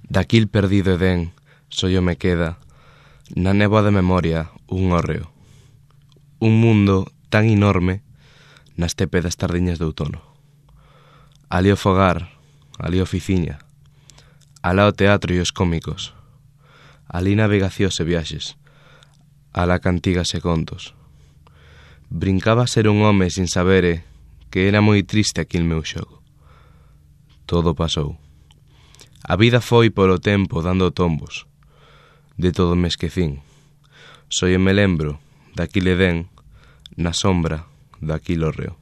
Daquil perdido Edén, sollo me queda, na néboa da memoria, un hórreo. Un mundo tan enorme na estepe das tardiñas de outono. Ali o fogar, ali a oficiña, alá o teatro e os cómicos, ali navegacións e viaxes, alá cantigas e contos. Brincaba a ser un home sin sabere que era moi triste aquil meu xogo. Todo pasou. A vida foi polo tempo dando tombos. De todo me esquecín. Só me lembro daquil Edén na sombra daquil hórreo.